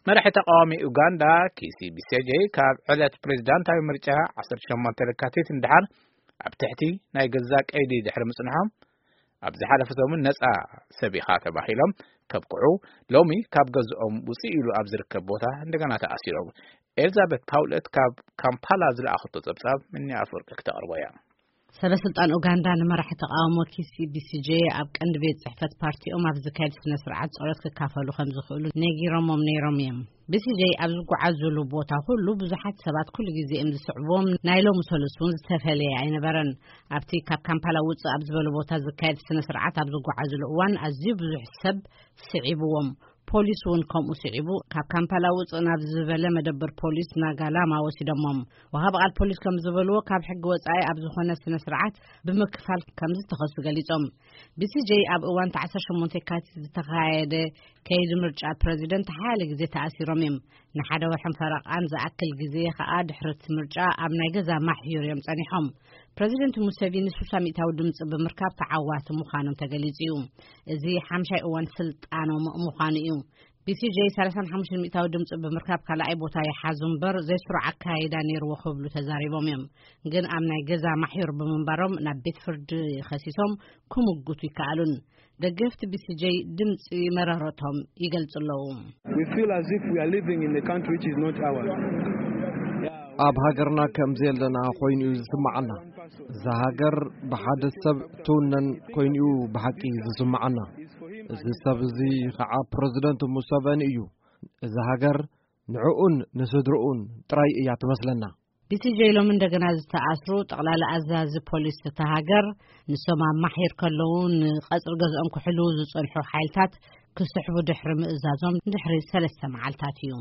መራሒ ተቃዋሚ ኡጋንዳ ኪሲ ቢሴጄ ካብ ዕለት ፕሬዝዳንታዊ ምርጫ ዓሰርተ ሸሞንተ ለካቲት ንድሓር ኣብ ትሕቲ ናይ ገዛ ቀይዲ ድሕሪ ምጽንሖም፣ ኣብ ዝሓለፈ ሰሙን ነጻ ሰብ ኢኻ ተባሂሎም ከብቅዑ፣ ሎሚ ካብ ገዝኦም ውጽእ ኢሉ ኣብ ዝርከብ ቦታ እንደገና ተኣሲሮም። ኤልዛቤት ፓውለት ካብ ካምፓላ ዝለኣኸቶ ጸብጻብ ምኒ ኣፈወርቂ ክተቕርቦ እያ። ሰበ ስልጣን ኡጋንዳ ንመራሒ ተቃውሞ ኪሲ ቢሲጄ ኣብ ቀንዲ ቤት ጽሕፈት ፓርቲኦም ኣብ ዝካየድ ስነ ስርዓት ጸሎት ክካፈሉ ከም ዝኽእሉ ነጊሮሞም ነይሮም እዮም። ቢሲጄ ኣብ ዝጓዓዙሉ ቦታ ኩሉ ብዙሓት ሰባት ኩሉ ግዜ እዮም ዝስዕብዎም። ናይ ሎሚ ሰሉስ እውን ዝተፈለየ ኣይነበረን። ኣብቲ ካብ ካምፓላ ውጽእ ኣብ ዝበለ ቦታ ዝካየድ ስነ ስርዓት ኣብ ዝጓዓዙሉ እዋን ኣዝዩ ብዙሕ ሰብ ስዒብዎም። ፖሊስ እውን ከምኡ ስዒቡ ካብ ካምፓላ ውጽእ ናብ ዝበለ መደበር ፖሊስ ናጋላማ ወሲዶሞም። ወሃቢ ቃል ፖሊስ ከም ዝበልዎ ካብ ሕጊ ወጻኢ ኣብ ዝኾነ ስነ ስርዓት ብምክፋል ከም ዝተኸሱ ገሊጾም። ቢሲጄ ኣብ እዋን ዓሰርተ ሸሞንተ የካቲት ዝተኻየደ ከይዲ ምርጫ ፕረዚደንት ሓያለ ግዜ ተኣሲሮም እዮም። ንሓደ ወርሕን ፈረቓን ዝኣክል ግዜ ኸኣ ድሕሪ እቲ ምርጫ ኣብ ናይ ገዛ ማሕዩር እዮም ጸኒሖም። ፕረዚደንት ሙሴቪኒ ስሳ ሚእታዊ ድምጺ ብምርካብ ተዓዋቲ ምዃኖም ተገሊጹ እዩ። እዚ ሓምሻይ እዋን ስልጣኖም ምዃኑ እዩ። ቢሲጄ ሰላሳን ሓሙሽተን ሚእታዊ ድምጺ ብምርካብ ካልኣይ ቦታ ይሓዙ እምበር ዘይስሩዕ ኣካይዳ ነይርዎ ክብሉ ተዛሪቦም እዮም። ግን ኣብ ናይ ገዛ ማሕዩር ብምንባሮም ናብ ቤት ፍርዲ ከሲሶም ክምጉቱ ይከኣሉን። ደገፍቲ ቢሲጄ ድምጺ መረረቶም ይገልጹ ኣለዉ። We feel as if we are living in a country which is not ours. ኣብ ሃገርና ከም ዘለና ኮይኑ እዩ ዝስምዓና። እዛ ሃገር ብሓደ ሰብ ትውነን ኮይኑ እዩ ብሓቂ ዝስምዓና። እዚ ሰብ እዚ ከዓ ፕረዚደንት ሙሰቨኒ እዩ። እዛ ሃገር ንዕኡን ንስድርኡን ጥራይ እያ ትመስለና። ቢሲጄ ሎሚ እንደገና ዝተኣስሩ ጠቕላላ ኣዛዚ ፖሊስ እታ ሃገር ንሶም ኣብ ማሒር ከለዉ ንቐጽሪ ገዝኦም ክሕልዉ ዝጸንሑ ሓይልታት ክስሕቡ ድሕሪ ምእዛዞም ድሕሪ ሰለስተ መዓልታት እዩ።